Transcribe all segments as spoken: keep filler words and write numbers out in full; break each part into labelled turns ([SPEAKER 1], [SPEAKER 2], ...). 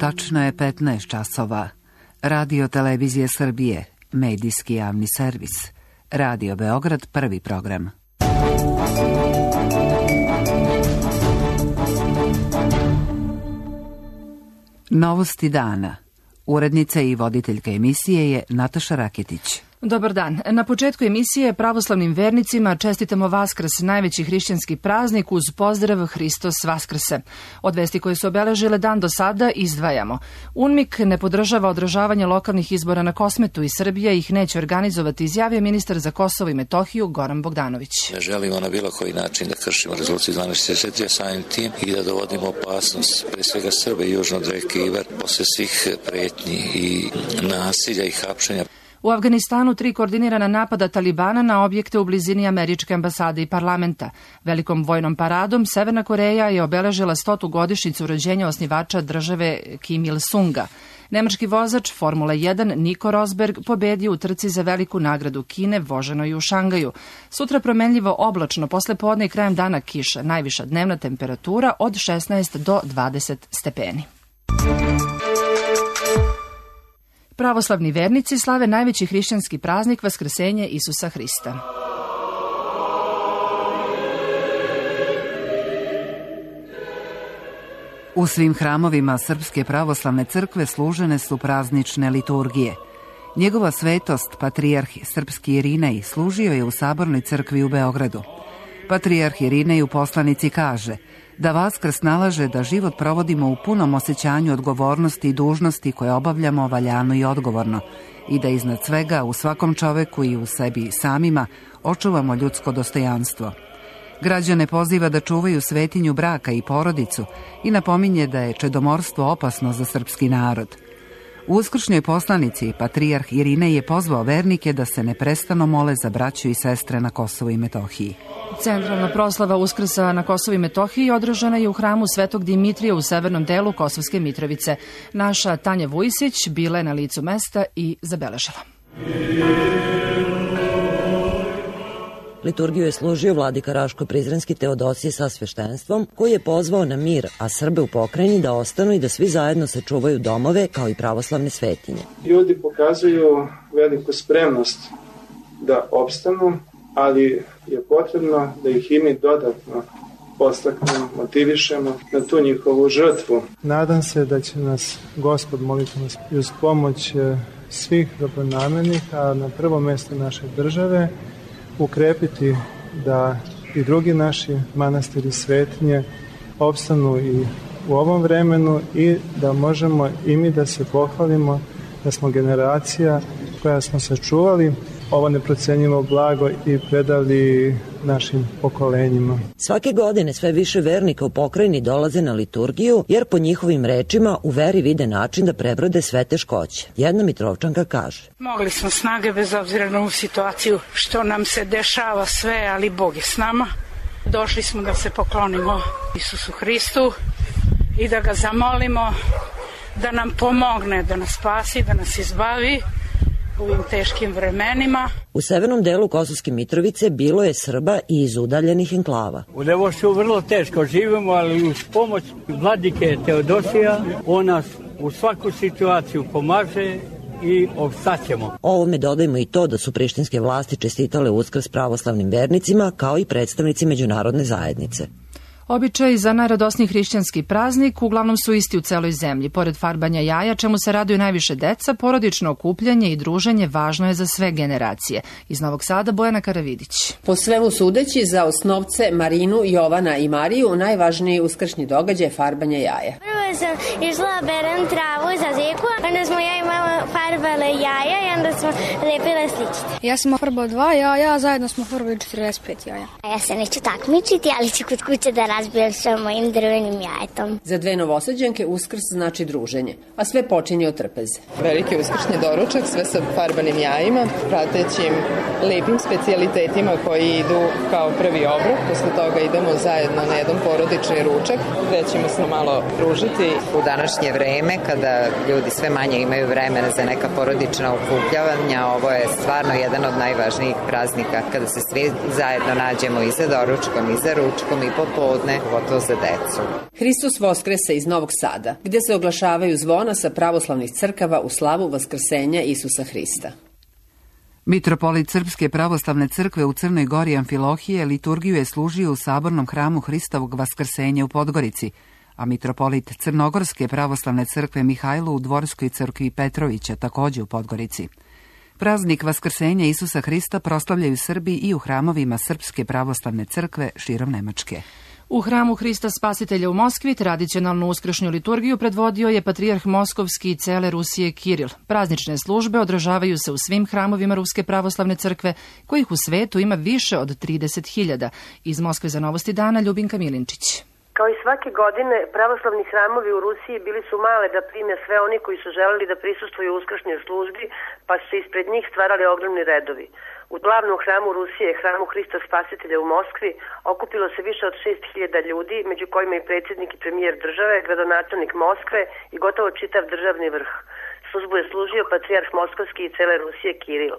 [SPEAKER 1] Tačno je petnaest časova. Radio Televizije Srbije, medijski javni servis. Radio Beograd, prvi program. Novosti dana. Urednica i voditeljka emisije je Nataša Raketić.
[SPEAKER 2] Dobar dan. Na početku emisije pravoslavnim vernicima čestitamo Vaskrs, najveći hrišćanski praznik, uz pozdrav Hristos Vaskrse. Od vesti koje su obeležile dan do sada izdvajamo. UNMIK ne podržava održavanje lokalnih izbora na Kosmetu i Srbija ih neće organizovati, izjavio ministar za Kosovo i Metohiju Goran Bogdanović.
[SPEAKER 3] Ne želimo na bilo koji način da kršimo rezoluciju dvanaest šezdeset tri, samim tim i da dovodimo opasnost pre svega Srbe i južno od reke Ibar posle svih pretnji i nasilja i hapšenja.
[SPEAKER 2] U Afganistanu tri koordinirana napada Talibana na objekte u blizini američke ambasade i parlamenta. Velikom vojnom paradom Severna Koreja je obeležila stotu godišnjicu rođenja osnivača države Kim Il-sunga. Nemački vozač Formule jedan Nico Rosberg pobedio u trci za veliku nagradu Kine voženoj u Šangaju. Sutra promenljivo oblačno, posle podne i krajem dana kiša, najviša dnevna temperatura od šesnaest do dvadeset stepeni. Pravoslavni vernici slave najveći hrišćanski praznik Vaskrsenje Isusa Hrista.
[SPEAKER 1] U svim hramovima Srpske pravoslavne crkve služene su praznične liturgije. Njegova svetost, patrijarh srpski Irinej, služio je u Sabornoj crkvi u Beogradu. Patrijarh Irinej u poslanici kaže da Vaskrs nalaže da život provodimo u punom osjećanju odgovornosti i dužnosti koje obavljamo valjano i odgovorno i da iznad svega u svakom čoveku i u sebi samima očuvamo ljudsko dostojanstvo. Građane poziva da čuvaju svetinju braka i porodicu i napominje da je čedomorstvo opasno za srpski narod. U uskršnjoj poslanici patrijarh Irinej je pozvao vernike da se neprestano mole za braću i sestre na Kosovu i Metohiji.
[SPEAKER 2] Centralna proslava Uskrsa na Kosovu i Metohiji održana je u hramu Svetog Dimitrija u severnom delu Kosovske Mitrovice. Naša Tanja Vujsić bila je na licu mesta i zabeležila.
[SPEAKER 4] Liturgiju je služio vladika Raško-Prizrenski Teodosije sa sveštenstvom, koji je pozvao na mir, a Srbe u pokrajini da ostanu i da svi zajedno sačuvaju domove kao i pravoslavne svetinje.
[SPEAKER 5] Ljudi pokazuju veliku spremnost da opstanu, ali je potrebno da ih i mi dodatno podstaknemo, motivišemo na tu njihovu žrtvu.
[SPEAKER 6] Nadam se da će nas Gospod, moliti nas i uz pomoć svih dobronamernih, a na prvo mjesto naše države, ukrepiti da i drugi naši manastiri svetinje opstanu i u ovom vremenu i da možemo i mi da se pohvalimo da smo generacija koja smo sačuvali ovo neprocenjivo blago i predali našim pokolenjima.
[SPEAKER 4] Svake godine sve više vernika u pokrajini dolaze na liturgiju, jer po njihovim rečima u veri vide način da prebrode sve teškoće. Jedna Mitrovčanka kaže:
[SPEAKER 7] Mogli smo snage bez obzira na ovu situaciju što nam se dešava sve, ali Bog je s nama. Došli smo da se poklonimo Isusu Hristu i da ga zamolimo da nam pomogne, da nas spasi, da nas izbavi u ovim teškim vremenima.
[SPEAKER 4] U severnom delu Kosovske Mitrovice bilo je Srba i iz udaljenih enklava.
[SPEAKER 8] U Levošu vrlo teško živimo, ali uz pomoć vladike Teodosija on nas u svaku situaciju pomaže i opstaćemo.
[SPEAKER 4] Ovome dodajmo i to da su prištinske vlasti čestitale Uskrs pravoslavnim vernicima kao i predstavnici međunarodne zajednice.
[SPEAKER 2] Običaj za najradosniji hrišćanski praznik uglavnom su isti u celoj zemlji. Pored farbanja jaja, čemu se raduju najviše deca, porodično okupljanje i druženje važno je za sve generacije. Iz Novog Sada Bojana Karavidić.
[SPEAKER 9] Po svemu sudeći, za osnovce Marinu, Jovana i Mariju najvažniji uskršnji događaj je farbanje jaja.
[SPEAKER 10] Prvo sam išla berem travu za zeku, onda smo ja i mama farbale jaja i onda smo lepile sličice.
[SPEAKER 11] Ja sam farbao dva jaja, zajedno smo farbali četrdeset pet jaja.
[SPEAKER 10] Ja se neću takmičiti, ali ću kod kuće da razbijem sa mojim drvenim jajetom.
[SPEAKER 9] Za dve novosađenke Uskrs znači druženje, a sve počinje od trpeze.
[SPEAKER 12] Veliki uskršnji doručak, sve sa farbanim jajima, pratećim lepim specijalitetima koji idu kao prvi obrok. Posle toga idemo zajedno na jedan porodični ručak, gde ćemo se malo družiti.
[SPEAKER 13] U današnje vreme, kada ljudi sve manje imaju vremena za neka porodična okupljavanja, ovo je stvarno jedan od najvažnijih praznika, kada se svi zajedno nađemo i za doručkom, i za ručkom, i popodne. bitne, pogotovo za decu.
[SPEAKER 9] Hristos Voskrese iz Novog Sada, gde se oglašavaju zvona sa pravoslavnih crkava u slavu Vaskrsenja Isusa Hrista.
[SPEAKER 1] Mitropolit Srpske pravoslavne crkve u Crnoj Gori Amfilohije liturgiju je služio u sabornom hramu Hristovog Vaskrsenja u Podgorici, a mitropolit Crnogorske pravoslavne crkve Mihajlo u Dvorskoj crkvi Petrovića, takođe u Podgorici. Praznik Vaskrsenja Isusa Hrista proslavljaju Srbi i u hramovima Srpske pravoslavne crkve širom Nemačke.
[SPEAKER 2] U hramu Hrista Spasitelja u Moskvi tradicionalnu uskršnju liturgiju predvodio je patrijarh Moskovski i cele Rusije Kiril. Praznične službe održavaju se u svim hramovima Ruske pravoslavne crkve, kojih u svetu ima više od trideset hiljada. Iz Moskve za Novosti dana Ljubinka Milinčić.
[SPEAKER 14] Kao i svake godine, pravoslavni hramovi u Rusiji bili su male da prime sve oni koji su želeli da prisustvuju uskršnjoj službi, pa su se ispred njih stvarali ogromni redovi. U glavnom hramu Rusije, hramu Hrista Spasitelja u Moskvi, okupilo se više od šest hiljada ljudi, među kojima i predsjednik i premijer države, gradonačelnik Moskve i gotovo čitav državni vrh. Službu je služio patrijarh Moskovski i cele Rusije Kiril.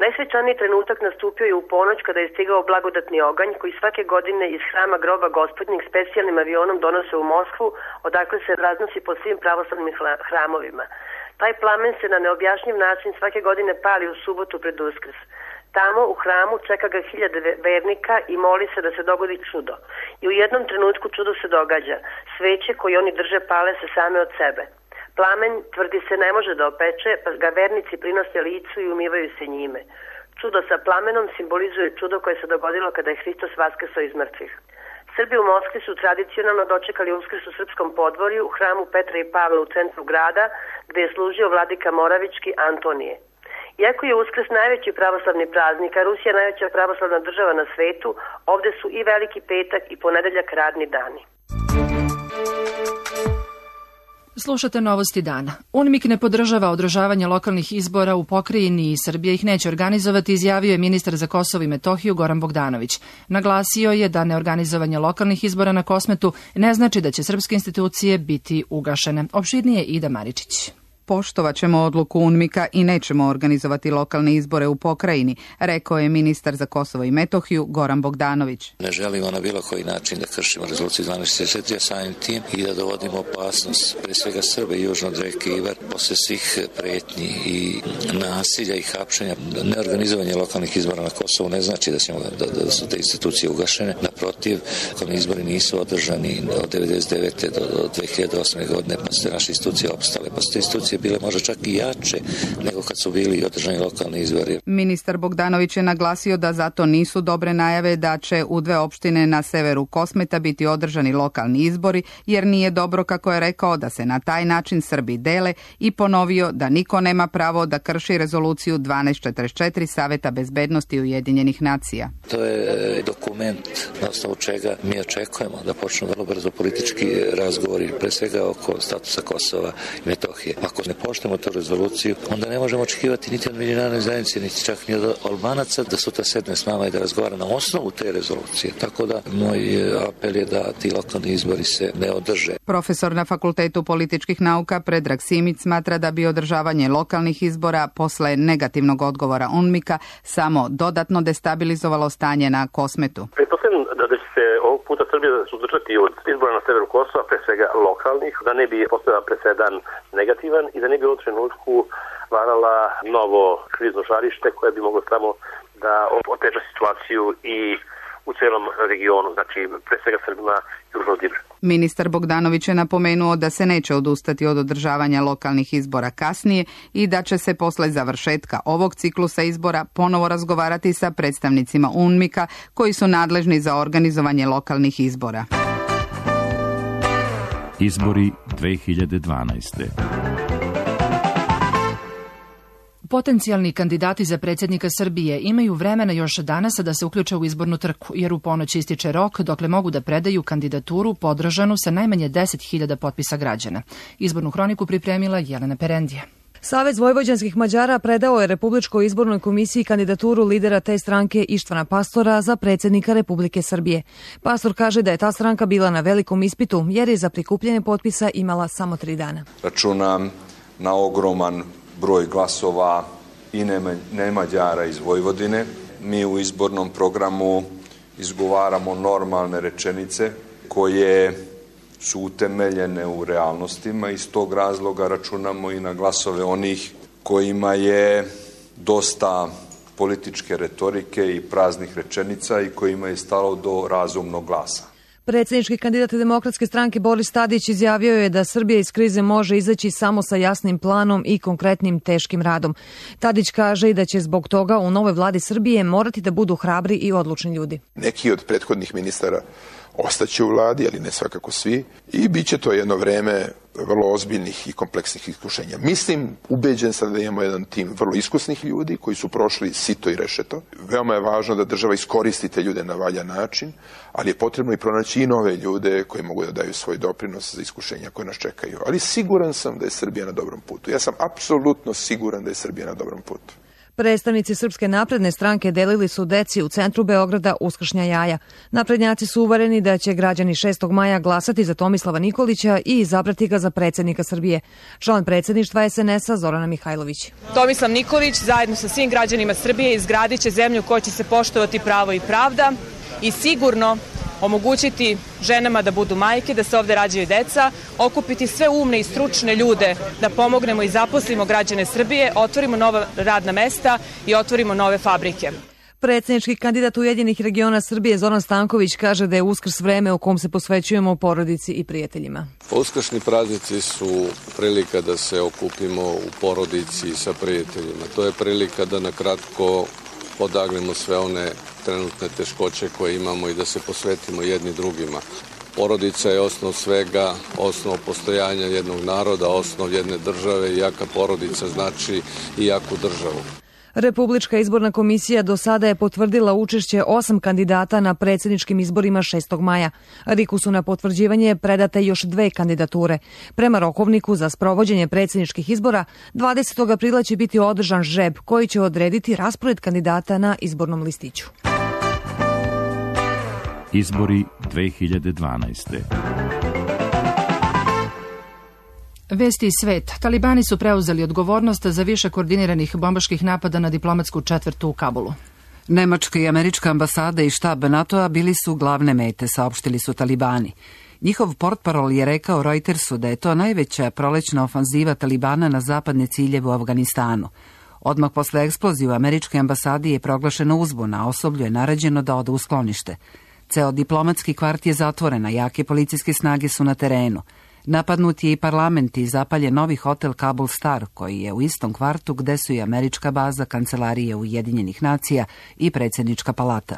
[SPEAKER 14] Najsvećaniji trenutak nastupio je u ponoć kada je stigao blagodatni oganj koji svake godine iz hrama groba Gospodnjeg specijalnim avionom donose u Moskvu, odakle se raznosi po svim pravoslavnim hramovima. Taj plamen se na neobjašnjiv način svake godine pali u subotu pred Uskrs. Tamo u hramu čeka ga hiljade vernika i moli se da se dogodi čudo. I u jednom trenutku čudo se događa. Sveće koje oni drže pale se same od sebe. Plamen, tvrdi se, ne može da opeče, pa ga vernici prinose licu i umivaju se njime. Čudo sa plamenom simbolizuje čudo koje se dogodilo kada je Hristos vaskrsao iz mrtvih. Srbi u Moskvi su tradicionalno dočekali Uskrs u srpskom podvorju u hramu Petra i Pavla u centru grada, gde je služio vladika Moravički Antonije. Iako je Uskrs najveći pravoslavni praznik, a Rusija najveća pravoslavna država na svetu, ovde su i Veliki petak i ponedeljak radni dani.
[SPEAKER 2] Slušate Novosti dana. UNMIK ne podržava održavanje lokalnih izbora u pokrajini i Srbija ih neće organizovati, izjavio je ministar za Kosovo i Metohiju Goran Bogdanović. Naglasio je da neorganizovanje lokalnih izbora na Kosmetu ne znači da će srpske institucije biti ugašene. Opširnije Ida Maričić.
[SPEAKER 15] Poštovat ćemo odluku UNMIK-a i nećemo organizovati lokalne izbore u pokrajini, rekao je ministar za Kosovo i Metohiju Goran Bogdanović.
[SPEAKER 3] Ne želimo na bilo koji način da kršimo rezoluciju dvanaest šezdeset četiri, a samim tim i da dovodimo opasnost pre svega Srbe i južno od reke Ivar posle svih pretnji i nasilja i hapšenja. Neorganizovanje lokalnih izbora na Kosovu ne znači da, ćemo, da, da su te institucije ugašene. Naprotiv, lokalni izbori nisu održani od devedeset devete do, do dve hiljade osme godine, pa su te naše institucije opstale, pa su te institucije bile možda čak i jače nego kad su bili održani lokalni izbori.
[SPEAKER 15] Ministar Bogdanović je naglasio da zato nisu dobre najave da će u dve opštine na severu Kosmeta biti održani lokalni izbori, jer nije dobro, kako je rekao, da se na taj način Srbi dele i ponovio da niko nema pravo da krši rezoluciju dvanaest četrdeset četiri Saveta bezbednosti Ujedinjenih nacija.
[SPEAKER 3] To je dokument na osnovu čega mi očekujemo da počnu vrlo brzo politički razgovori, pre svega oko statusa Kosova i Metohije. Ako ne poštujemo tu rezoluciju, onda ne možemo očekivati niti od međunarodne zajednice, niti čak ni od Albanaca da sutra sedne s nama i da razgovara na osnovu te rezolucije. Tako da moj apel je da ti lokalni izbori se ne održe.
[SPEAKER 15] Profesor na Fakultetu političkih nauka Predrag Simić smatra da bi održavanje lokalnih izbora posle negativnog odgovora UNMIK-a samo dodatno destabilizovalo stanje na Kosmetu.
[SPEAKER 16] Pretpostavljam da će se ovog puta Srbija suzdržati od izbora na severu Kosova, pre svega lokalnih, da ne bi postojao presedan negativan i da ne bi u ovom trenutku varala novo krizno žarište koje bi moglo samo da oteža situaciju i u celom regionu, znači pre svega Srbima južno od Ibra.
[SPEAKER 15] Ministar Bogdanović je napomenuo da se neće odustati od održavanja lokalnih izbora kasnije i da će se posle završetka ovog ciklusa izbora ponovo razgovarati sa predstavnicima UNMIK-a koji su nadležni za organizovanje lokalnih izbora.
[SPEAKER 17] Izbori dve hiljade dvanaeste.
[SPEAKER 2] Potencijalni kandidati za predsjednika Srbije imaju vremena još danas da se uključe u izbornu trku, jer u ponoć ističe rok dokle mogu da predaju kandidaturu podržanu sa najmanje deset hiljada potpisa građana. Izbornu hroniku pripremila Jelena Perendija.
[SPEAKER 18] Savez vojvođanskih Mađara predao je Republičkoj izbornoj komisiji kandidaturu lidera te stranke Ištvana Pastora za predsjednika Republike Srbije. Pastor kaže da je ta stranka bila na velikom ispitu jer je za prikupljanje potpisa imala samo tri dana.
[SPEAKER 19] Računam na ogroman broj glasova i Nemađara iz Vojvodine. Mi u izbornom programu izgovaramo normalne rečenice koje su utemeljene u realnostima. Iz tog razloga računamo i na glasove onih kojima je dosta političke retorike i praznih rečenica i kojima je stalo do razumnog glasa.
[SPEAKER 18] Predsjednički kandidat Demokratske stranke Boris Tadić izjavio je da Srbija iz krize može izaći samo sa jasnim planom i konkretnim teškim radom. Tadić kaže i da će zbog toga u novoj vladi Srbije morati da budu hrabri i odlučni ljudi.
[SPEAKER 20] Neki od prethodnih ministara ostaće u vladi, ali ne svakako svi, i bit će to jedno vreme vrlo ozbiljnih i kompleksnih iskušenja. Mislim, ubeđen sam da imamo jedan tim vrlo iskusnih ljudi koji su prošli sito i rešeto. Veoma je važno da država iskoristi te ljude na valjan način, ali je potrebno i pronaći i nove ljude koji mogu da daju svoj doprinos za iskušenja koje nas čekaju. Ali siguran sam da je Srbija na dobrom putu. Ja sam apsolutno siguran da je Srbija na dobrom putu.
[SPEAKER 18] Predstavnici Srpske napredne stranke delili su deci u centru Beograda uskršnja jaja. Naprednjaci su uvereni da će građani šestog maja glasati za Tomislava Nikolića i izabrati ga za predsjednika Srbije. Član predsjedništva es en es a Zorana Mihajlović.
[SPEAKER 21] Tomislav Nikolić zajedno sa svim građanima Srbije izgradit će zemlju koja će se poštovati pravo i pravda i sigurno omogućiti ženama da budu majke, da se ovde rađaju deca, okupiti sve umne i stručne ljude da pomognemo i zaposlimo građane Srbije, otvorimo nova radna mesta i otvorimo nove fabrike.
[SPEAKER 18] Predsjednički kandidat Ujedinjenih regiona Srbije Zoran Stanković kaže da je Uskrs vreme u kom se posvećujemo porodici i prijateljima.
[SPEAKER 22] Uskršnji praznici su prilika da se okupimo u porodici i sa prijateljima. To je prilika da na kratko odagnemo sve one trenutne teškoće koje imamo i da se posvetimo jedni drugima. Porodica je osnov svega, osnov postojanja jednog naroda, osnov jedne države i jaka porodica znači i jaku državu.
[SPEAKER 18] Republička izborna komisija do sada je potvrdila učešće osam kandidata na predsjedničkim izborima šestog maja. RIK-u su na potvrđivanje predate još dve kandidature. Prema rokovniku za sprovođenje predsjedničkih izbora, dvadesetog aprila će biti održan žreb koji će odrediti raspored kandidata na izbornom listiću.
[SPEAKER 17] Izbori dve hiljade dvanaeste.
[SPEAKER 2] Vesti i svet. Talibani su preuzeli odgovornost za više koordiniranih bombaških napada na diplomatsku četvrtu u Kabulu.
[SPEAKER 1] Nemačka i američka ambasada i štab NATO-a bili su glavne mete, saopštili su Talibani. Njihov portparol je rekao Reutersu da je to najveća prolećna ofanziva Talibana na zapadne ciljeve u Afganistanu. Odmah posle eksplozije u američkoj ambasadi je proglašena uzbuna, a osoblju je naređeno da ode u sklonište. Ceo diplomatski kvart je zatvoren, a jake policijske snage su na terenu. Napadnut je i parlament i zapaljen novi hotel Kabul Star, koji je u istom kvartu gde su i američka baza, kancelarije Ujedinjenih nacija i predsjednička palata.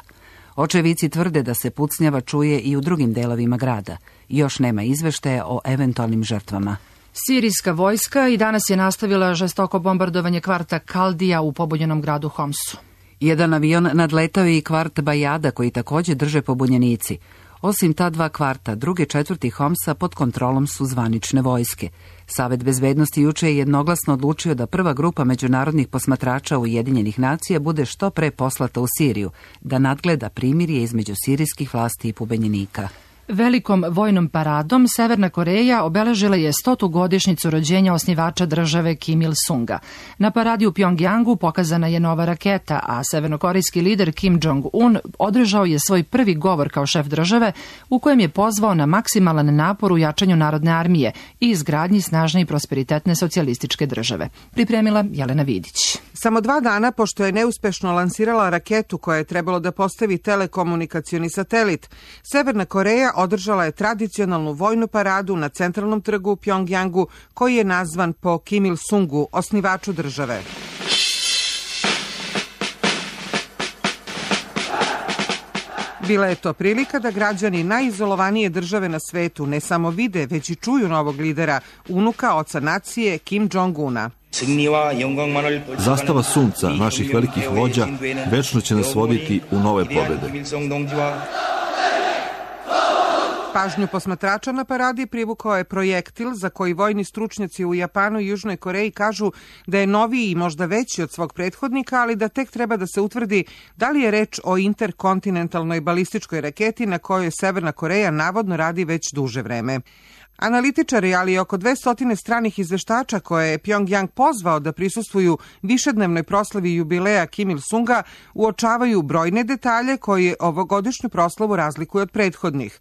[SPEAKER 1] Očevici tvrde da se pucnjava čuje i u drugim delovima grada. Još nema izveštaja o eventualnim žrtvama.
[SPEAKER 2] Sirijska vojska i danas je nastavila žestoko bombardovanje kvarta Kaldija u pobunjenom gradu Homsu.
[SPEAKER 1] Jedan avion nadletao je i kvart Bajada, koji također drže pobunjenici. Osim ta dva kvarta, druge četvrti Homsa pod kontrolom su zvanične vojske. Savet bezbednosti juče je jednoglasno odlučio da prva grupa međunarodnih posmatrača Ujedinjenih nacija bude što pre poslata u Siriju, da nadgleda primirje između sirijskih vlasti i pobenjenika.
[SPEAKER 2] Velikom vojnom paradom Severna Koreja obeležila je stotu godišnjicu rođenja osnivača države Kim Il-sunga. Na paradi u Pjongjangu pokazana je nova raketa, a severnokorejski lider Kim Jong-un održao je svoj prvi govor kao šef države u kojem je pozvao na maksimalan napor u jačanju narodne armije i izgradnji snažne i prosperitetne socijalističke države. Pripremila Jelena Vidić.
[SPEAKER 23] Samo dva dana pošto je neuspešno lansirala raketu koja je trebalo da postavi telekomunikacioni satelit, Severna Koreja održala je tradicionalnu vojnu paradu na centralnom trgu u Pjongjangu, koji je nazvan po Kim Il-sungu, osnivaču države. Bila je to prilika da građani najizolovanije države na svetu ne samo vide, već i čuju novog lidera, unuka oca nacije Kim Jong-una.
[SPEAKER 24] Zastava sunca naših velikih vođa večno će nas voditi u nove pobjede.
[SPEAKER 23] Pažnju posmatrača na paradi privukao je projektil za koji vojni stručnjaci u Japanu i Južnoj Koreji kažu da je noviji i možda veći od svog prethodnika, ali da tek treba da se utvrdi da li je reč o interkontinentalnoj balističkoj raketi na kojoj Severna Koreja navodno radi već duže vreme. Analitičari, ali i oko dvesta stranih izveštača koje je Pjongjang pozvao da prisustvuju višednevnoj proslavi jubileja Kim Il-sunga, uočavaju brojne detalje koji ovogodišnju proslavu razlikuju od prethodnih.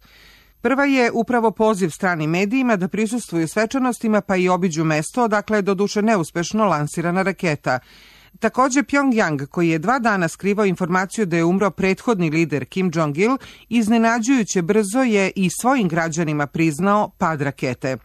[SPEAKER 23] Prva je upravo poziv stranim medijima da prisustvuju svečanostima pa i obiđu mesto odakle je doduše neuspešno lansirana raketa. Takođe, Pjongjang, koji je dva dana skrivao informaciju da je umro prethodni lider Kim Jong-il, iznenađujuće brzo je i svojim građanima priznao pad rakete.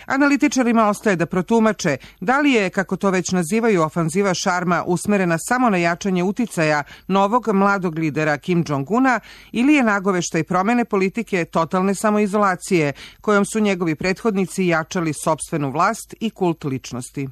[SPEAKER 23] Analitičarima ostaje da protumače da li je, kako to već nazivaju, ofanziva šarma usmerena samo na jačanje uticaja novog mladog lidera Kim Jong-una ili je nagoveštaj promene politike totalne samoizolacije kojom su njegovi prethodnici jačali sopstvenu vlast i kult ličnosti.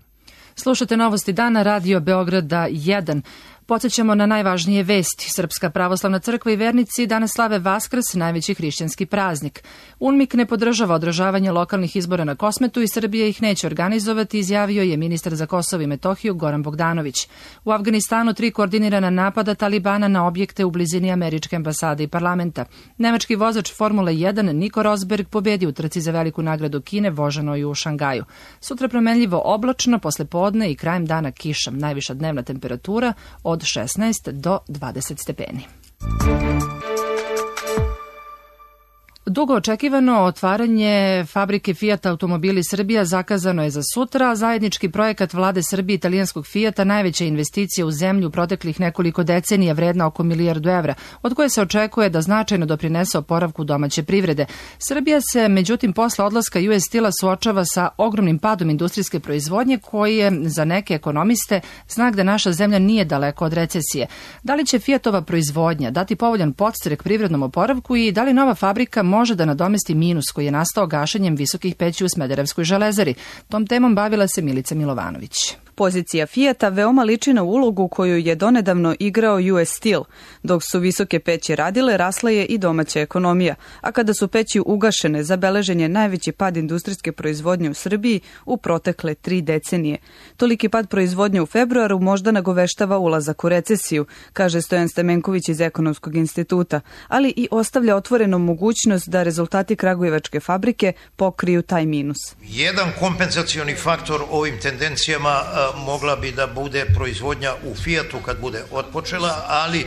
[SPEAKER 2] Slušate Novosti dana, Radio Beograda jedan. Podsećamo na najvažnije vesti. Srpska pravoslavna crkva i vernici danas slave Vaskrs, najveći hrišćanski praznik. UNMIK ne podržava održavanje lokalnih izbora na Kosmetu i Srbija ih neće organizovati, izjavio je ministar za Kosovo i Metohiju Goran Bogdanović. U Afganistanu tri koordinirana napada Talibana na objekte u blizini američke ambasade i parlamenta. Nemački vozač Formule jedan Nico Rosberg pobedio u trci za veliku nagradu Kine voženoj u Šangaju. Sutra promenljivo oblačno, posle podne i krajem dana kiša. Najviša dnevna temperatura od šesnaest do dvadeset stepeni. Dugo očekivano otvaranje fabrike Fiat Automobili Srbija zakazano je za sutra, a zajednički projekat vlade Srbije i italijanskog Fiata najveća investicija u zemlju proteklih nekoliko decenija vredna oko milijardu evra, od koje se očekuje da značajno doprinese oporavku domaće privrede. Srbija se, međutim, posle odlaska U S Steel-a suočava sa ogromnim padom industrijske proizvodnje koji je za neke ekonomiste znak da naša zemlja nije daleko od recesije. Da li će Fiatova proizvodnja dati povoljan podstrek privrednom oporavku i da li nova fabrika može da nadomesti minus koji je nastao gašenjem visokih peći u Smederevskoj železari? Tom temom bavila se Milica Milovanović.
[SPEAKER 5] Pozicija Fijata veoma liči na ulogu koju je donedavno igrao U S Steel. Dok su visoke peći radile, rasla je i domaća ekonomija, a kada su peći ugašene, zabeležen je najveći pad industrijske proizvodnje u Srbiji u protekle tri decenije. Toliki pad proizvodnje u februaru možda nagoveštava ulazak u recesiju, kaže Stojan Stamenković iz Ekonomskog instituta, ali i ostavlja otvorenom mogućnost da rezultati kragujevačke fabrike pokriju taj minus.
[SPEAKER 6] Jedan kompenzacioni faktor ovim tendencijama mogla bi da bude proizvodnja u Fiatu kad bude otpočela, ali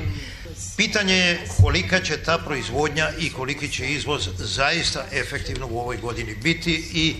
[SPEAKER 6] pitanje je kolika će ta proizvodnja i koliki će izvoz zaista efektivno u ovoj godini biti i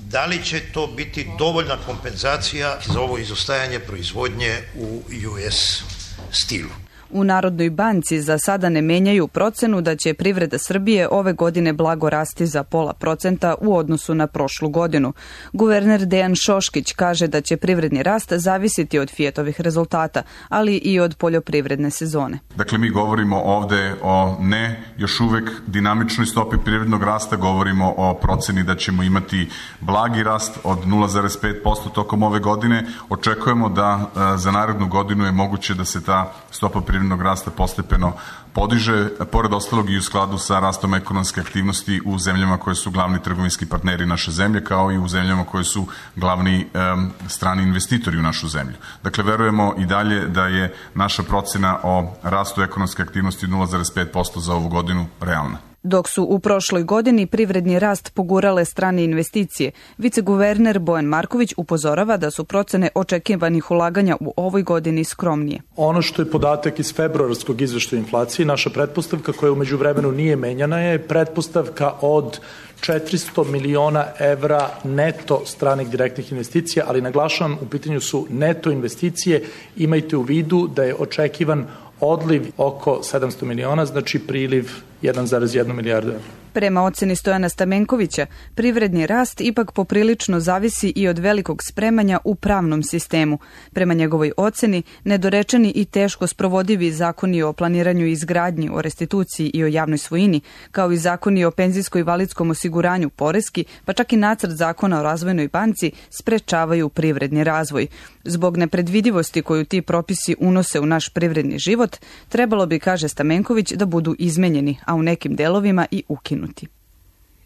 [SPEAKER 6] da li će to biti dovoljna kompenzacija za ovo izostajanje proizvodnje u U S Steelu.
[SPEAKER 5] U Narodnoj banci za sada ne menjaju procenu da će privreda Srbije ove godine blago rasti za pola procenta u odnosu na prošlu godinu. Guverner Dejan Šoškić kaže da će privredni rast zavisiti od Fijatovih rezultata, ali i od poljoprivredne sezone.
[SPEAKER 7] Dakle, mi govorimo ovde o ne još uvek dinamičnoj stopi privrednog rasta, govorimo o proceni da ćemo imati blagi rast od nula zarez pet posto tokom ove godine. Očekujemo da za narednu godinu je moguće da se ta stopa privrednog rasta postepeno podiže, pored ostalog i u skladu sa rastom ekonomske aktivnosti u zemljama koje su glavni trgovinski partneri naše zemlje, kao i u zemljama koje su glavni um, strani investitori u našu zemlju. Dakle, verujemo i dalje da je naša procena o rastu ekonomske aktivnosti nula zarez pet posto za ovu godinu realna.
[SPEAKER 5] Dok su u prošloj godini privredni rast pogurale strane investicije, viceguverner Bojan Marković upozorava da su procene očekivanih ulaganja u ovoj godini skromnije.
[SPEAKER 8] Ono što je podatak iz februarskog izveštaja inflacije, naša pretpostavka koja u međuvremenu nije menjana je pretpostavka od četiristo miliona evra neto stranih direktnih investicija, ali naglašavam, u pitanju su neto investicije. Imajte u vidu da je očekivan odliv oko sedamsto miliona, znači priliv jedan zarez jedna milijarda evra.
[SPEAKER 5] Prema oceni Stojana Stamenkovića, privredni rast ipak poprilično zavisi i od velikog spremanja u pravnom sistemu. Prema njegovoj oceni, nedorečeni i teško sprovodivi zakoni o planiranju i izgradnji, o restituciji i o javnoj svojini, kao i zakoni o penzijsko-invalidskom osiguranju poreski, pa čak i nacrt zakona o razvojnoj banci, sprečavaju privredni razvoj. Zbog nepredvidivosti koju ti propisi unose u naš privredni život, trebalo bi, kaže Stamenković, da budu izmenjeni, a u nekim delovima i ukinuti.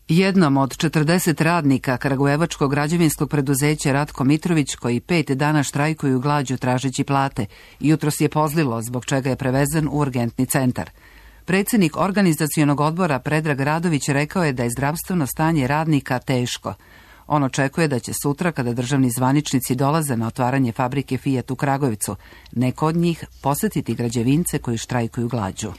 [SPEAKER 1] Jednom od četrdeset radnika kragujevačkog građevinskog preduzeća Ratko Mitrović, koji pet dana štrajkuju glađu tražeći plate, jutros je pozlilo, zbog čega je prevezen u urgentni centar. Predsjednik organizacionog odbora Predrag Radović rekao je da je zdravstveno stanje radnika teško. On očekuje da će sutra, kada državni zvaničnici dolaze na otvaranje fabrike Fiat u Kragujevcu, neko od njih posjetiti građevince koji štrajkuju glađu.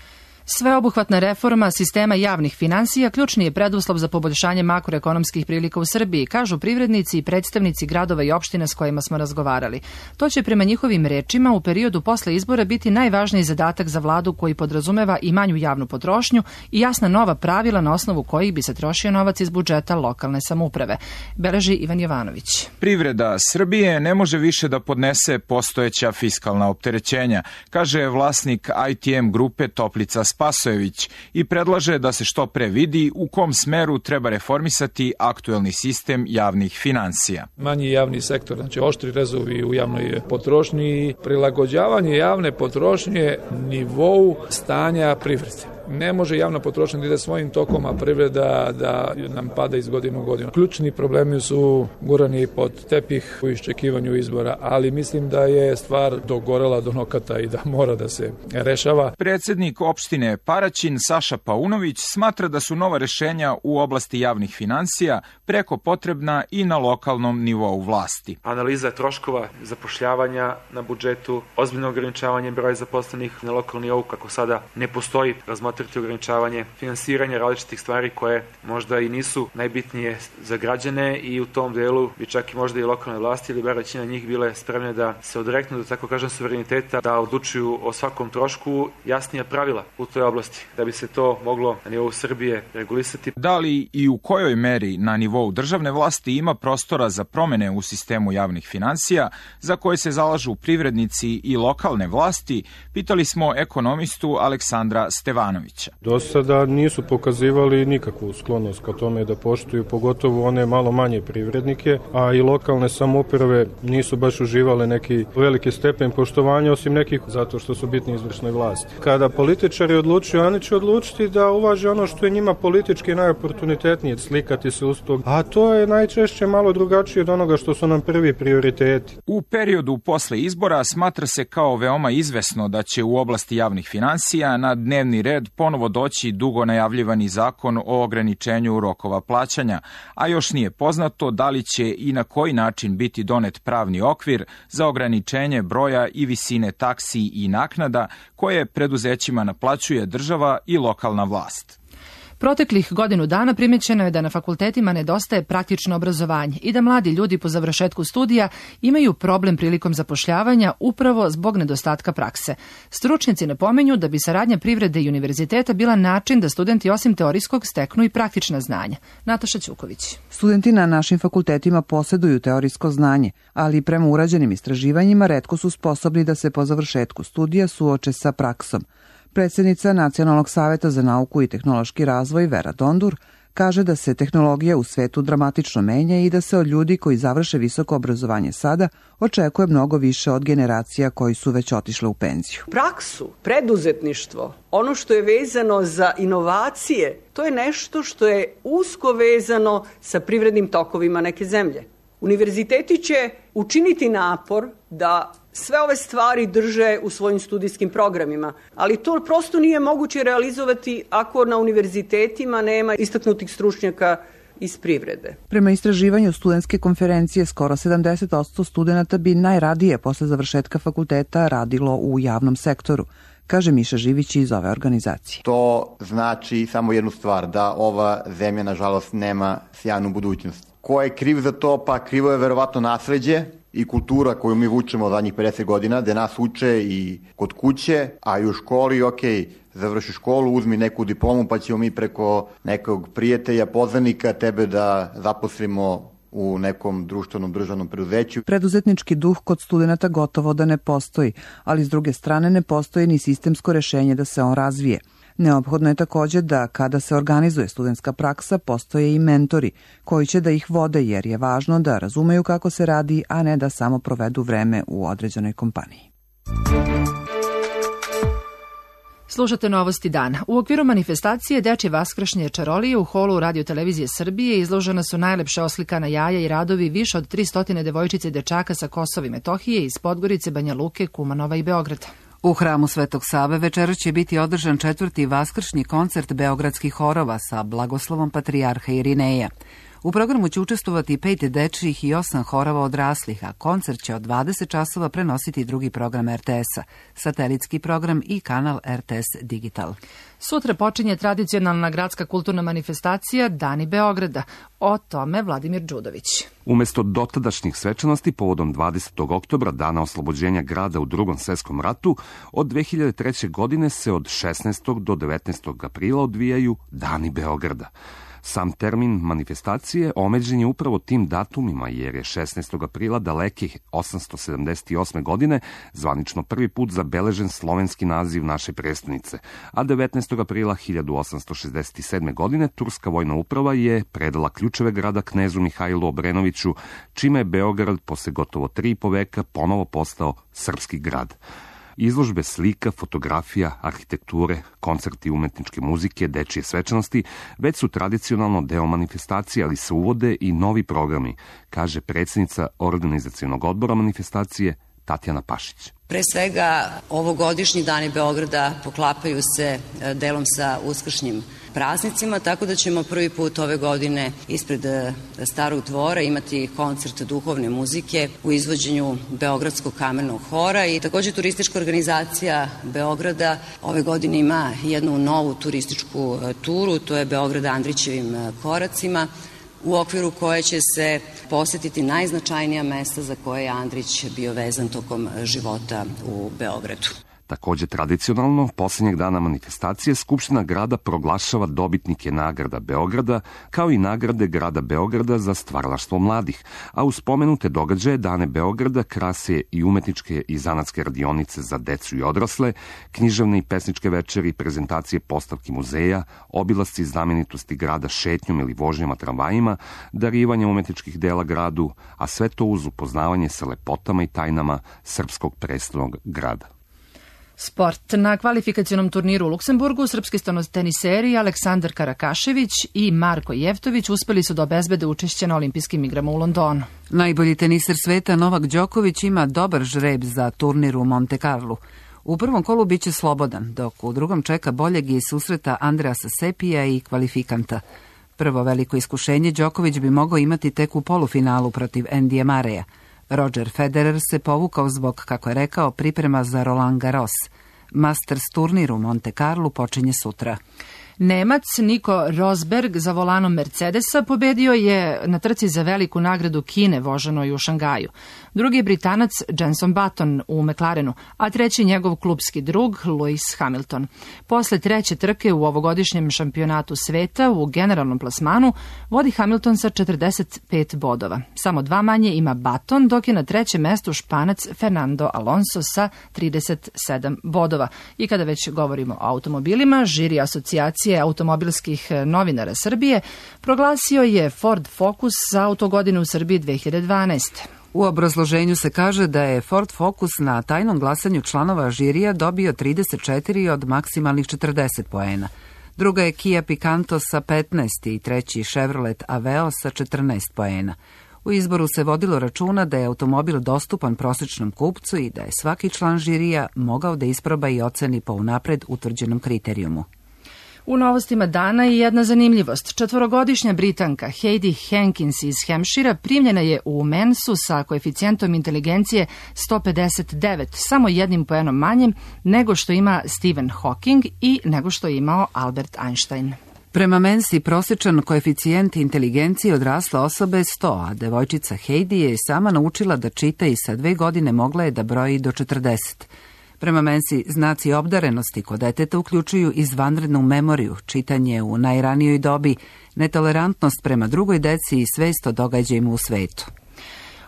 [SPEAKER 2] Sveobuhvatna reforma sistema javnih finansija ključni je preduslov za poboljšanje makroekonomskih prilika u Srbiji, kažu privrednici i predstavnici gradova i opština s kojima smo razgovarali. To će prema njihovim rečima u periodu posle izbora biti najvažniji zadatak za vladu, koji podrazumeva i manju javnu potrošnju i jasna nova pravila na osnovu kojih bi se trošio novac iz budžeta lokalne samouprave. Beleži Ivan Jovanović.
[SPEAKER 4] Privreda Srbije ne može više da podnese postojeća fiskalna opterećenja, kaže vlasnik I T M grupe Toplica Spasojević i predlaže da se što pre vidi u kom smeru treba reformisati aktuelni sistem javnih finansija.
[SPEAKER 10] Manji javni sektor, znači oštri rezovi u javnoj potrošnji, prilagođavanje javne potrošnje nivou stanja privrede. Ne može javna potrošnja da ide svojim tokom, a privreda da nam pada iz godine u godinu. Ključni problemi su gurani pod tepih u iščekivanju izbora, ali mislim da je stvar dogorela do nokata i da mora da se rešava.
[SPEAKER 4] Predsjednik opštine Paraćin Saša Paunović smatra da su nova rešenja u oblasti javnih finansija preko potrebna i na lokalnom nivou vlasti.
[SPEAKER 11] Analiza troškova zapošljavanja na budžetu, ozbiljno ograničavanje broja zaposlenih na lokalnom nivou, kako sada ne postoji, razmatrati ograničavanje finansiranja različitih stvari koje možda i nisu najbitnije za građane i u tom delu bi čak i možda i lokalne vlasti ili bar većina njih bile spremne da se odreknu, da tako kažem, suvereniteta, da odlučuju o svakom trošku, jasnija pravila u toj oblasti, da bi se to moglo na nivou Srbije regulisati.
[SPEAKER 4] Da li i u kojoj meri na nivou državne vlasti ima prostora za promene u sistemu javnih finansija, za koje se zalažu privrednici i lokalne vlasti, pitali smo ekonomistu Aleksandra Stevanovića.
[SPEAKER 12] Do sada nisu pokazivali nikakvu sklonost ka tome da poštuju, pogotovo one malo manje privrednike, a i lokalne samouprave nisu baš uživale neki veliki stepen poštovanja, osim nekih zato što su bitni izvršnoj vlasti. Kada političari odlučuju, oni će odlučiti da uvaže ono što je njima politički najoportunitetnije, slikati se uz to, a to je najčešće malo drugačije od onoga što su nam prvi prioriteti.
[SPEAKER 4] U periodu posle izbora smatra se kao veoma izvesno da će u oblasti javnih finansija na dnevni red ponovo doći dugo najavljivani zakon o ograničenju rokova plaćanja, a još nije poznato da li će i na koji način biti donet pravni okvir za ograničenje broja i visine taksi i naknada koje preduzećima naplaćuje država i lokalna vlast.
[SPEAKER 2] Proteklih godinu dana primećeno je da na fakultetima nedostaje praktično obrazovanje i da mladi ljudi po završetku studija imaju problem prilikom zapošljavanja upravo zbog nedostatka prakse. Stručnjaci napominju da bi saradnja privrede i univerziteta bila način da studenti osim teorijskog steknu i praktična znanja. Nataša Ćuković.
[SPEAKER 1] Studenti na našim fakultetima posjeduju teorijsko znanje, ali prema urađenim istraživanjima retko su sposobni da se po završetku studija suoče sa praksom. Predsjednica Nacionalnog saveta za nauku i tehnološki razvoj Vera Dondur kaže da se tehnologija u svetu dramatično menja i da se od ljudi koji završe visoko obrazovanje sada očekuje mnogo više od generacija koji su već otišle u penziju.
[SPEAKER 25] Praksu, preduzetništvo, ono što je vezano za inovacije, to je nešto što je usko vezano sa privrednim tokovima neke zemlje. Univerziteti će učiniti napor da sve ove stvari drže u svojim studijskim programima, ali to prosto nije moguće realizovati ako na univerzitetima nema istaknutih stručnjaka iz privrede.
[SPEAKER 1] Prema istraživanju studentske konferencije, skoro sedamdeset posto studenta bi najradije posle završetka fakulteta radilo u javnom sektoru, kaže Miša Živić iz ove organizacije.
[SPEAKER 26] To znači samo jednu stvar, da ova zemlja, nažalost, nema sjajnu budućnost. Ko je kriv za to? Pa krivo je verovatno nasleđe i kultura koju mi vučemo zadnjih pedeset godina, gde nas uče i kod kuće, a i u školi, ok, završi školu, uzmi neku diplomu, pa ćemo mi preko nekog prijatelja, poznanika tebe da zaposlimo u nekom društvenom državnom preduzeću.
[SPEAKER 1] Preduzetnički duh kod studenata gotovo da ne postoji, ali s druge strane ne postoji ni sistemsko rešenje da se on razvije. Neophodno je također da kada se organizuje studentska praksa postoje i mentori koji će da ih vode, jer je važno da razumeju kako se radi, a ne da samo provedu vreme u određenoj kompaniji.
[SPEAKER 2] Slušate Novosti dana. U okviru manifestacije Dečje vaskršnje čarolije u holu Radio televizije Srbije izložena su najlepše oslikana jaja i radovi više od tristotina devojčica i dečaka sa Kosova i Metohije iz Podgorice, Banja Luke, Kumanova i Beograda.
[SPEAKER 1] U hramu Svetog Save večeras će biti održan četvrti vaskršnji koncert beogradskih horova sa blagoslovom patrijarha Irineja. U programu će učestvovati pet dečjih i osam horova odraslih, a koncert će od dvadeset časova prenositi drugi program er te esa, satelitski program i kanal er te es Digital.
[SPEAKER 2] Sutra počinje tradicionalna gradska kulturna manifestacija Dani Beograda. O tome Vladimir Đudović.
[SPEAKER 3] Umesto dotadašnjih svečanosti povodom dvadesetog oktobra, dana oslobođenja grada u Drugom svetskom ratu, od dve hiljade treće. godine se od šesnaestog do devetnaestog aprila odvijaju Dani Beograda. Sam termin manifestacije omeđen je upravo tim datumima, jer je šesnaestog aprila daleke osamsto sedamdeset osme. godine zvanično prvi put zabeležen slovenski naziv naše prestonice, a devetnaestog aprila hiljadu osamsto šezdeset sedme. godine turska vojna uprava je predala ključeve grada knezu Mihajlu Obrenoviću, čime je Beograd posle gotovo tri i po veka ponovo postao srpski grad. Izložbe slika, fotografija, arhitekture, koncerti umetničke muzike, dečije svečanosti već su tradicionalno deo manifestacije, ali se uvode i novi programi, kaže predsjednica organizacionog odbora manifestacije Tatjana Pašić.
[SPEAKER 9] Pre svega, ovogodišnji Dani Beograda poklapaju se delom sa uskršnjim praznicima, tako da ćemo prvi put ove godine ispred Starog dvora imati koncert duhovne muzike u izvođenju Beogradskog kamernog hora i takođe turistička organizacija Beograda ove godine ima jednu novu turističku turu, to je Beograd Andrićevim koracima, u okviru koje će se posetiti najznačajnija mesta za koje je Andrić bio vezan tokom života u Beogradu.
[SPEAKER 3] Takođe tradicionalno, posljednjeg dana manifestacije Skupština grada proglašava dobitnike nagrada Beograda, kao i nagrade grada Beograda za stvaralaštvo mladih, a uz spomenute događaje Dane Beograda krase i umetničke i zanatske radionice za decu i odrasle, književne i pesničke večeri, prezentacije postavki muzeja, obilasci znamenitosti grada šetnjom ili vožnjama tramvajima, darivanje umetničkih dela gradu, a sve to uz upoznavanje sa lepotama i tajnama srpskog prestolnog grada.
[SPEAKER 2] Sport. Na kvalifikacionom turniru u Luksemburgu srpski stenoteniseri Aleksandar Karakašević i Marko Jevtović uspeli su da obezbede učešće na olimpijskim igrama u Londonu.
[SPEAKER 1] Najbolji teniser sveta Novak Đoković ima dobar žreb za turnir u Monte Carlu. U prvom kolu biće slobodan, dok u drugom čeka boljeg i susreta Andreasa Sepija i kvalifikanta. Prvo veliko iskušenje Đoković bi mogao imati tek u polufinalu protiv Endija Mareja. Roger Federer se povukao zbog, kako je rekao, priprema za Roland Garros. Masters turnir u Monte Carlu počinje sutra.
[SPEAKER 2] Nemac Niko Rosberg za volanom Mercedesa pobedio je na trci za veliku nagradu Kine voženoj u Šangaju. Drugi je Britanac Jenson Button u McLarenu, a treći njegov klubski drug Lewis Hamilton. Posle treće trke u ovogodišnjem šampionatu sveta u generalnom plasmanu vodi Hamilton sa četrdeset pet bodova. Samo dva manje ima Button, dok je na trećem mestu Španac Fernando Alonso sa trideset sedam bodova. I kada već govorimo o automobilima, žiri asocijacije automobilskih novinara Srbije proglasio je Ford Focus za autogodinu u Srbiji dve hiljade dvanaeste.
[SPEAKER 1] U obrazloženju se kaže da je Ford Focus na tajnom glasanju članova žirija dobio trideset četiri od maksimalnih četrdeset poena. Druga je Kia Picanto sa petnaest i treći Chevrolet Aveo sa četrnaest poena. U izboru se vodilo računa da je automobil dostupan prosječnom kupcu i da je svaki član žirija mogao da isproba i oceni po unapred utvrđenom kriterijumu.
[SPEAKER 2] U novostima dana i jedna zanimljivost. Četvorogodišnja Britanka Heidi Hankins iz Hampshira primljena je u Mensu sa koeficijentom inteligencije sto pedeset devet, samo jednim poenom manjim nego što ima Stephen Hawking i nego što je imao Albert Einstein.
[SPEAKER 1] Prema Mensi prosječan koeficijent inteligencije odrasle osobe je sto, a devojčica Heidi je sama naučila da čita i sa dve godine mogla je da broji do četrdeset. Prema Mensi, znaci obdarenosti kod deteta uključuju izvanrednu memoriju, čitanje u najranijoj dobi, netolerantnost prema drugoj deci i svest o događajima u svetu.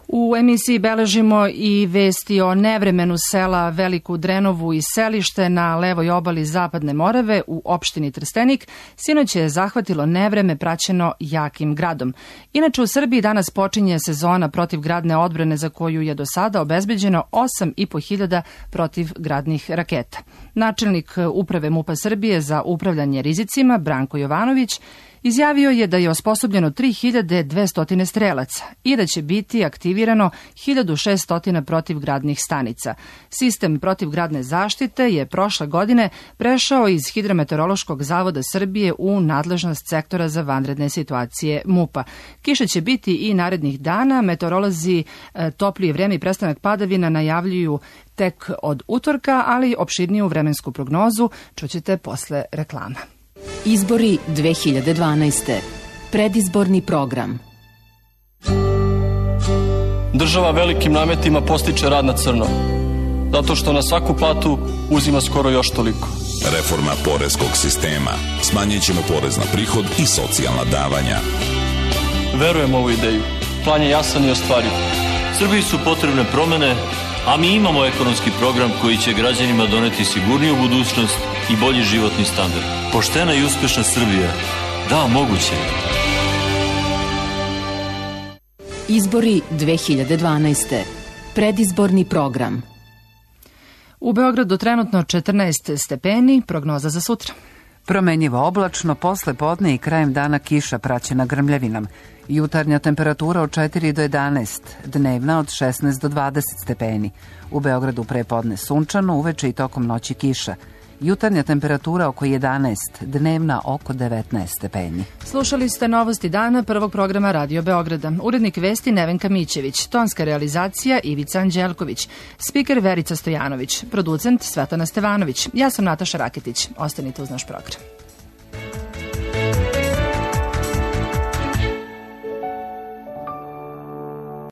[SPEAKER 2] U emisiji beležimo i vesti o nevremenu sela Veliku Drenovu i selište na levoj obali Zapadne Morave u opštini Trstenik. Sinoć je zahvatilo nevreme praćeno jakim gradom. Inače u Srbiji danas počinje sezona protivgradne odbrane za koju je do sada obezbeđeno osam i po hiljada protivgradnih raketa. Načelnik uprave MUP-a Srbije za upravljanje rizicima Branko Jovanović Izjavio je da je osposobljeno tri hiljade dvesta strelaca i da će biti aktivirano hiljadu šessto protivgradnih stanica. Sistem protivgradne zaštite je prošle godine prešao iz Hidrometeorološkog zavoda Srbije u nadležnost sektora za vanredne situacije MUP-a. Kiše će biti i narednih dana. Meteorolozi e, toplije vreme i prestanak padavina najavljuju tek od utorka, ali opširniju vremensku prognozu čućete posle reklama.
[SPEAKER 13] Izbori dve hiljade dvanaeste. Predizborni program.
[SPEAKER 14] Država velikim nametima postiče rad na crno, zato što na svaku platu uzima skoro još toliko.
[SPEAKER 15] Reforma poreskog sistema. Smanjit ćemo porez na prihod i socijalna davanja.
[SPEAKER 14] Verujem u ovu ideju. Plan je jasan i ostvariv.
[SPEAKER 16] Srbiji su potrebne promene, a mi imamo ekonomski program koji će građanima doneti sigurniju budućnost i bolji životni standard. Poštena i uspešna Srbija. Da, moguće.
[SPEAKER 13] Izbori dve hiljade dvanaeste. Predizborni program.
[SPEAKER 2] U Beogradu trenutno četrnaest stepeni, prognoza za sutra.
[SPEAKER 1] Promenjivo oblačno, posle podne i krajem dana kiša praćena grmljavinom. Jutarnja temperatura od četiri do jedanaest, dnevna od šesnaest do dvadeset stepeni. U Beogradu pre podne sunčano, uveče i tokom noći kiša. Jutarnja temperatura oko jedanaest, dnevna oko devetnaest stepeni.
[SPEAKER 2] Slušali ste novosti dana prvog programa Radio Beograda. Urednik vesti Nevenka Mićević, tonska realizacija Ivica Anđelković, spiker Verica Stojanović, producent Svetana Stevanović. Ja sam Nataša Raketić. Ostanite uz naš program.